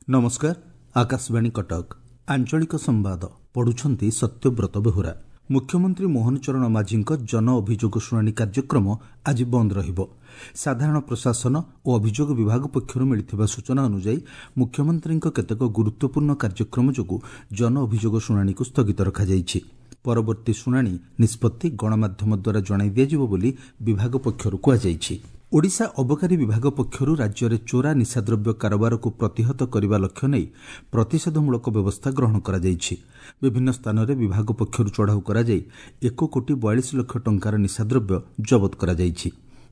ନମସ୍କାର, ଆକାଶବାଣୀ କଟକ, ଆଞ୍ଚଳିକ ସମ୍ବାଦ ପଢୁଛନ୍ତି ସତ୍ୟବ୍ରତ ବେହୁରା। ମୁଖ୍ୟମନ୍ତ୍ରୀ ମୋହନ ଚରଣ ମାଝୀଙ୍କ ଜନ ଅଭିଯୋଗ ଶୁଣାଣି କାର୍ଯ୍ୟକ୍ରମ ଆଜି ବନ୍ଦ ରହିବ। ସାଧାରଣ ପ୍ରଶାସନ ଓ ଅଭିଯୋଗ ବିଭାଗ ପକ୍ଷରୁ ମିଳିଥିବା ସୂଚନା ଅନୁଯାୟୀ ମୁଖ୍ୟମନ୍ତ୍ରୀଙ୍କ କେତେକ ଗୁରୁତ୍ୱପୂର୍ଣ୍ଣ କାର୍ଯ୍ୟକ୍ରମ ଯୋଗୁଁ ଜନ ଅଭିଯୋଗ ଶୁଣାଣିକୁ ସ୍ଥଗିତ ରଖାଯାଇଛି। ପରବର୍ତ୍ତୀ ଶୁଣାଣି ନିଷ୍ପତ୍ତି ଗଣମାଧ୍ୟମ ଦ୍ୱାରା ଜଣାଇ ଦିଆଯିବ ବୋଲି ବିଭାଗ ପକ୍ଷରୁ କୁହାଯାଇଛି। ଓଡ଼ିଶା ଅବକାରୀ ବିଭାଗ ପକ୍ଷରୁ ରାଜ୍ୟରେ ଚୋରା ନିଶାଦ୍ରବ୍ୟ କାରବାରକୁ ପ୍ରତିହତ କରିବା ଲକ୍ଷ୍ୟ ନେଇ ପ୍ରତିଷେଧମୂଳକ ବ୍ୟବସ୍ଥା ଗ୍ରହଣ କରାଯାଇଛି। ବିଭିନ୍ନ ସ୍ଥାନରେ ବିଭାଗ ପକ୍ଷରୁ ଚଢ଼ାଉ କରାଯାଇ 1 କୋଟି 42 ଲକ୍ଷ ଟଙ୍କାର ନିଶାଦ୍ରବ୍ୟ ଜବତ କରାଯାଇଛି।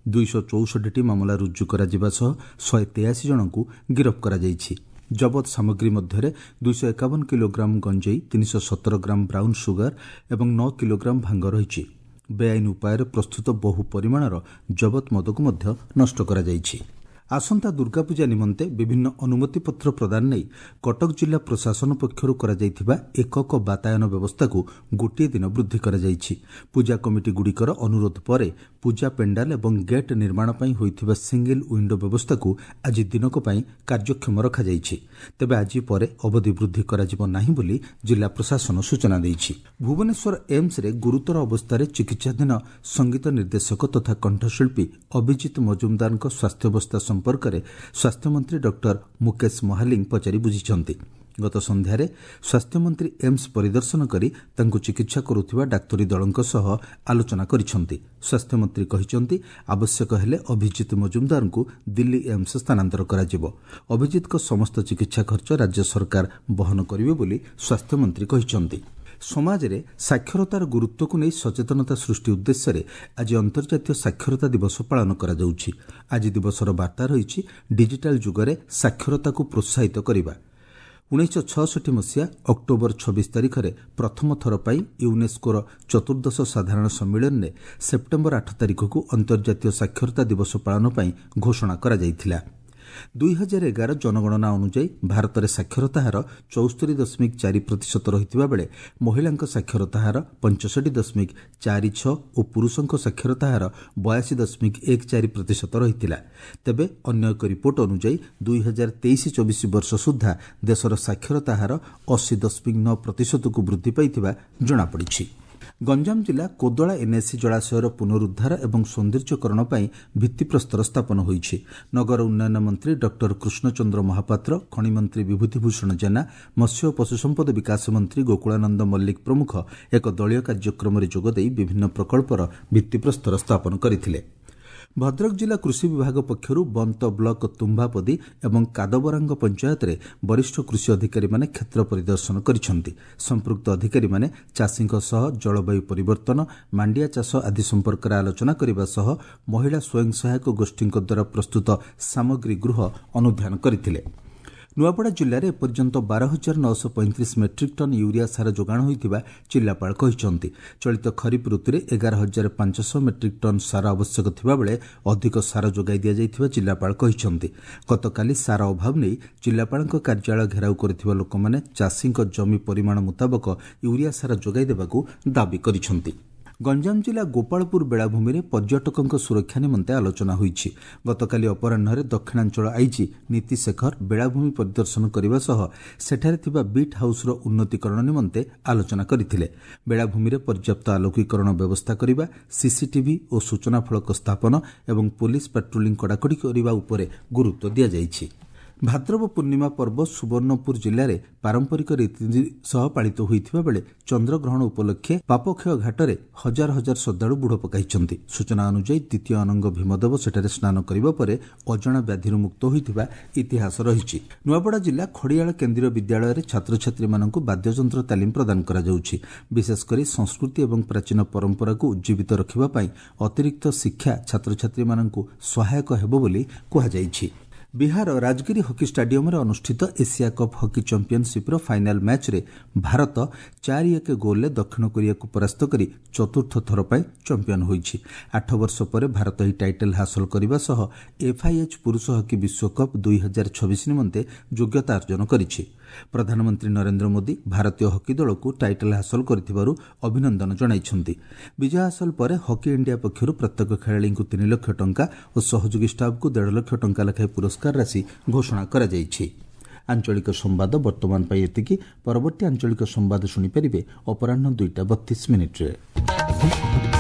264ଟି ମାମଲା ରୁଜୁ କରାଯିବା ସହ 183 ଜଣଙ୍କୁ ଗିରଫ କରାଯାଇଛି। ଜବତ ସାମଗ୍ରୀ ମଧ୍ୟରେ 251 କିଲୋଗ୍ରାମ ଗଞ୍ଜେଇ, 317 ଗ୍ରାମ ବ୍ରାଉନ୍ ସୁଗାର ଏବଂ 9 କିଲୋଗ୍ରାମ ଭାଙ୍ଗ ରହିଛି। ବେଆଇନ ଉପାୟରେ ପ୍ରସ୍ତୁତ ବହୁ ପରିମାଣର ଜବତ ମଦକୁ ମଧ୍ୟ ନଷ୍ଟ କରାଯାଇଛି। ଆସନ୍ତା ଦୁର୍ଗାପୂଜା ନିମନ୍ତେ ବିଭିନ୍ନ ଅନୁମତିପତ୍ର ପ୍ରଦାନ ନେଇ କଟକ ଜିଲ୍ଲା ପ୍ରଶାସନ ପକ୍ଷରୁ କରାଯାଇଥିବା ଏକକ ବାତାୟନ ବ୍ୟବସ୍ଥାକୁ ଗୋଟିଏ ଦିନ ବୃଦ୍ଧି କରାଯାଇଛି। ପୂଜା କମିଟିଗୁଡ଼ିକର ଅନୁରୋଧ ପରେ ପୂଜା ପେଣ୍ଡାଲ ଏବଂ ଗେଟ୍ ନିର୍ମାଣ ପାଇଁ ହୋଇଥିବା ସିଙ୍ଗିଲ୍ ୱିଣ୍ଡୋ ବ୍ୟବସ୍ଥାକୁ ଆଜି ଦିନକ ପାଇଁ କାର୍ଯ୍ୟକ୍ଷମ ରଖାଯାଇଛି। ତେବେ ଆଜି ପରେ ଅବଧି ବୃଦ୍ଧି କରାଯିବ ନାହିଁ ବୋଲି ଜିଲ୍ଲା ପ୍ରଶାସନ ସୂଚନା ଦେଇଛି। ଭୁବନେଶ୍ୱର ଏମ୍ସରେ ଗୁରୁତର ଅବସ୍ଥାରେ ଚିକିତ୍ସାଧୀନ ସଙ୍ଗୀତ ନିର୍ଦ୍ଦେଶକ ତଥା କଣ୍ଠଶିଳ୍ପୀ ଅଭିଜିତ ମଜୁମଦାରଙ୍କ ସ୍ୱାସ୍ଥ୍ୟାବସ୍ଥା ସମ୍ପର୍କରେ ସ୍ୱାସ୍ଥ୍ୟମନ୍ତ୍ରୀ ଡକ୍ଟର ମୁକେଶ ମହାଲିଙ୍ଗ ପଚାରି ବୁଝିଛନ୍ତି। ଗତ ସନ୍ଧ୍ୟାରେ ସ୍ୱାସ୍ଥ୍ୟମନ୍ତ୍ରୀ ଏମ୍ସ ପରିଦର୍ଶନ କରି ତାଙ୍କୁ ଚିକିତ୍ସା କରୁଥିବା ଡାକ୍ତରୀ ଦଳଙ୍କ ସହ ଆଲୋଚନା କରିଛନ୍ତି। ସ୍ୱାସ୍ଥ୍ୟମନ୍ତ୍ରୀ କହିଛନ୍ତି, ଆବଶ୍ୟକ ହେଲେ ଅଭିଜିତ ମଜୁମଦାରଙ୍କୁ ଦିଲ୍ଲୀ ଏମ୍ସ ସ୍ଥାନାନ୍ତର କରାଯିବ। ଅଭିଜିତଙ୍କ ସମସ୍ତ ଚିକିତ୍ସା ଖର୍ଚ୍ଚ ରାଜ୍ୟ ସରକାର ବହନ କରିବେ ବୋଲି ସ୍ୱାସ୍ଥ୍ୟମନ୍ତ୍ରୀ କହିଛନ୍ତି। ସମାଜରେ ସାକ୍ଷରତାର ଗୁରୁତ୍ୱକୁ ନେଇ ସଚେତନତା ସୃଷ୍ଟି ଉଦ୍ଦେଶ୍ୟରେ ଆଜି ଅନ୍ତର୍ଜାତୀୟ ସାକ୍ଷରତା ଦିବସ ପାଳନ କରାଯାଉଛି। ଆଜି ଦିବସର ବାର୍ତ୍ତା ରହିଛି ଡିଜିଟାଲ ଯୁଗରେ ସାକ୍ଷରତାକୁ ପ୍ରୋତ୍ସାହିତ କରିବା। 1966 ମସିହା ଅକ୍ଟୋବର 26 ତାରିଖରେ ପ୍ରଥମ ଥର ପାଇଁ ୟୁନେସ୍କୋର ଚତୁର୍ଦ୍ଦଶ ସାଧାରଣ ସମ୍ମିଳନୀରେ ସେପ୍ଟେମ୍ବର 8 ତାରିଖକୁ ଅନ୍ତର୍ଜାତୀୟ ସାକ୍ଷରତା ଦିବସ ପାଳନ ପାଇଁ ଘୋଷଣା କରାଯାଇଥିଲା। 2011 ଜନଗଣନା ଅନୁଯାୟୀ ଭାରତରେ ସାକ୍ଷରତା ହାର 74.4% ରହିଥିବା ବେଳେ ମହିଳାଙ୍କ ସାକ୍ଷରତା ହାର 65.46 ଓ ପୁରୁଷଙ୍କ ସାକ୍ଷରତା ହାର 82.14% ରହିଥିଲା। ତେବେ ଅନ୍ୟ ଏକ ରିପୋର୍ଟ ଅନୁଯାୟୀ 2023-24 ବର୍ଷ ସୁଦ୍ଧା ଦେଶର ସାକ୍ଷରତା ହାର 80.9%କୁ ବୃଦ୍ଧି ପାଇଥିବା ଜଣାପଡ଼ିଛି। ଗଞ୍ଜାମ ଜିଲ୍ଲା କୋଦଳା ଏନ୍ଏସି ଜଳାଶୟର ପୁନରୁଦ୍ଧାର ଏବଂ ସୌନ୍ଦର୍ଯ୍ୟକରଣ ପାଇଁ ଭିତ୍ତିପ୍ରସ୍ତର ସ୍ଥାପନ ହୋଇଛି। ନଗର ଉନ୍ନୟନ ମନ୍ତ୍ରୀ ଡକ୍ଟର କୃଷ୍ଣଚନ୍ଦ୍ର ମହାପାତ୍ର, ଖଣିମନ୍ତ୍ରୀ ବିଭୂତିଭୂଷଣ ଜେନା, ମତ୍ସ୍ୟ ଓ ପଶୁସମ୍ପଦ ବିକାଶ ମନ୍ତ୍ରୀ ଗୋକୁଳାନନ୍ଦ ମଲ୍ଲିକ ପ୍ରମୁଖ ଏକ ଦଳୀୟ କାର୍ଯ୍ୟକ୍ରମରେ ଯୋଗଦେଇ ବିଭିନ୍ନ ପ୍ରକଳ୍ପର ଭିତ୍ତିପ୍ରସ୍ତର ସ୍ଥାପନ କରିଥିଲେ। ଭଦ୍ରକ ଜିଲ୍ଲା କୃଷି ବିଭାଗ ପକ୍ଷରୁ ବନ୍ତ ବ୍ଲକ ତୁମ୍ଭାପଦୀ ଏବଂ କାଦବରାଙ୍ଗ ପଞ୍ଚାୟତରେ ବରିଷ୍ଠ କୃଷି ଅଧିକାରୀମାନେ କ୍ଷେତ୍ର ପରିଦର୍ଶନ କରିଛନ୍ତି। ସମ୍ପୃକ୍ତ ଅଧିକାରୀମାନେ ଚାଷୀଙ୍କ ସହ ଜଳବାୟୁ ପରିବର୍ତ୍ତନ, ମାଣ୍ଡିଆ ଚାଷ ଆଦି ସମ୍ପର୍କରେ ଆଲୋଚନା କରିବା ସହ ମହିଳା ସ୍ୱୟଂ ସହାୟକ ଗୋଷ୍ଠୀଙ୍କ ଦ୍ୱାରା ପ୍ରସ୍ତୁତ ସାମଗ୍ରୀ ଗୃହ ଅନୁଧ୍ୟାନ କରିଥିଲେ। ନୂଆପଡ଼ା ଜିଲ୍ଲାରେ ଏପର୍ଯ୍ୟନ୍ତ 12,935 ମେଟ୍ରିକ୍ ଟନ୍ ୟୁରିଆ ସାର ଯୋଗାଣ ହୋଇଥିବା ଜିଲ୍ଲାପାଳ କହିଛନ୍ତି। ଚଳିତ ଖରିଫ ଋତୁରେ 11,500 ମେଟ୍ରିକ୍ ଟନ୍ ସାର ଆବଶ୍ୟକ ଥିବାବେଳେ ଅଧିକ ସାର ଯୋଗାଇ ଦିଆଯାଇଥିବା ଜିଲ୍ଲାପାଳ କହିଛନ୍ତି। ଗତକାଲି ସାର ଅଭାବ ନେଇ ଜିଲ୍ଲାପାଳଙ୍କ କାର୍ଯ୍ୟାଳୟ ଘେରାଉ କରିଥିବା ଲୋକମାନେ ଚାଷୀଙ୍କ ଜମି ପରିମାଣ ମୁତାବକ ୟୁରିଆ ସାର ଯୋଗାଇ ଦେବାକୁ ଦାବି କରିଛନ୍ତି। ଗଞ୍ଜାମ ଜିଲ୍ଲା ଗୋପାଳପୁର ବେଳାଭୂମିରେ ପର୍ଯ୍ୟଟକଙ୍କ ସୁରକ୍ଷା ନିମନ୍ତେ ଆଲୋଚନା ହୋଇଛି। ଗତକାଲି ଅପରାହ୍ନରେ ଦକ୍ଷିଣାଞ୍ଚଳ ଆଇଜି ନୀତି ଶେଖର ବେଳାଭୂମି ପରିଦର୍ଶନ କରିବା ସହ ସେଠାରେ ଥିବା ବିଟ୍ ହାଉସ୍ର ଉନ୍ନତିକରଣ ନିମନ୍ତେ ଆଲୋଚନା କରିଥିଲେ। ବେଳାଭୂମିରେ ପର୍ଯ୍ୟାପ୍ତ ଆଲୋକୀକରଣ ବ୍ୟବସ୍ଥା କରିବା, ସିସିଟିଭି ଓ ସୂଚନା ଫଳକ ସ୍ଥାପନ ଏବଂ ପୋଲିସ ପାଟ୍ରୋଲିଂ କଡ଼ାକଡ଼ି କରିବା ଉପରେ ଗୁରୁତ୍ୱ ଦିଆଯାଇଛି। ଭାଦ୍ରବ ପୂର୍ଣ୍ଣିମା ପର୍ବ ସୁବର୍ଣ୍ଣପୁର ଜିଲ୍ଲାରେ ପାରମ୍ପରିକ ରୀତିନୀତି ସହ ପାଳିତ ହୋଇଥିବା ବେଳେ ଚନ୍ଦ୍ରଗ୍ରହଣ ଉପଲକ୍ଷେ ପାପକ୍ଷୟ ଘାଟରେ ହଜାର ହଜାର ଶ୍ରଦ୍ଧାଳୁ ବୁଡ଼ ପକାଇଛନ୍ତି। ସୂଚନା ଅନୁଯାୟୀ ଦ୍ୱିତୀୟ ଅନଙ୍ଗ ଭୀମଦେବ ସେଠାରେ ସ୍ନାନ କରିବା ପରେ ଅଜଣା ବ୍ୟାଧିରୁ ମୁକ୍ତ ହୋଇଥିବା ଇତିହାସ ରହିଛି। ନୂଆପଡ଼ା ଜିଲ୍ଲା ଖଡ଼ିଆଳ କେନ୍ଦ୍ରୀୟ ବିଦ୍ୟାଳୟରେ ଛାତ୍ରଛାତ୍ରୀମାନଙ୍କୁ ବାଦ୍ୟଯନ୍ତ୍ର ତାଲିମ ପ୍ରଦାନ କରାଯାଉଛି। ବିଶେଷକରି ସଂସ୍କୃତି ଏବଂ ପ୍ରାଚୀନ ପରମ୍ପରାକୁ ଉଜ୍ଜୀବିତ ରଖିବା ପାଇଁ ଅତିରିକ୍ତ ଶିକ୍ଷା ଛାତ୍ରଛାତ୍ରୀମାନଙ୍କୁ ସହାୟକ ହେବ ବୋଲି କୁହାଯାଇଛି। ବିହାର ରାଜଗିରି ହକି ଷ୍ଟାଡିୟମରେ ଅନୁଷ୍ଠିତ ଏସିଆ କପ୍ ହକି ଚାମ୍ପିୟନସିପ୍ର ଫାଇନାଲ୍ ମ୍ୟାଚ୍ରେ ଭାରତ 4-1 ଗୋଲ୍ରେ ଦକ୍ଷିଣ କୋରିଆକୁ ପରାସ୍ତ କରି ଚତୁର୍ଥ ଥର ପାଇଁ ଚାମ୍ପିୟନ ହୋଇଛି। 8 ବର୍ଷ ପରେ ଭାରତ ଏହି ଟାଇଟଲ୍ ହାସଲ କରିବା ସହ ଏଫ୍ଆଇଏଚ୍ ପୁରୁଷ ହକି ବିଶ୍ୱକପ୍ 2026 ନିମନ୍ତେ ଯୋଗ୍ୟତା ଅର୍ଜନ କରିଛି। ପ୍ରଧାନମନ୍ତ୍ରୀ ନରେନ୍ଦ୍ର ମୋଦି ଭାରତୀୟ ହକି ଦଳକୁ ଟାଇଟଲ୍ ହାସଲ କରିଥିବାରୁ ଅଭିନନ୍ଦନ ଜଣାଇଛନ୍ତି। ବିଜୟ ହାସଲ ପରେ ହକି ଇଣ୍ଡିଆ ପକ୍ଷରୁ ପ୍ରତ୍ୟେକ ଖେଳାଳିଙ୍କୁ 3 ଲକ୍ଷ ଟଙ୍କା ଓ ସହଯୋଗୀ ଷ୍ଟାଫ୍ଙ୍କୁ 1.5 ଲକ୍ଷ ଟଙ୍କା ଲେଖାଏଁ ପୁରସ୍କାର ରାଶି ଘୋଷଣା କରାଯାଇଛି। ଆଞ୍ଚଳିକ ସମ୍ବାଦ ବର୍ତ୍ତମାନ ପାଇଁ ଏତିକି। ପରବର୍ତ୍ତୀ ଆଞ୍ଚଳିକ ସମ୍ବାଦ ଶୁଣିପାରିବେ ଅପରାହ୍ନ 2ଟା 32 ମିନିଟ୍ରେ।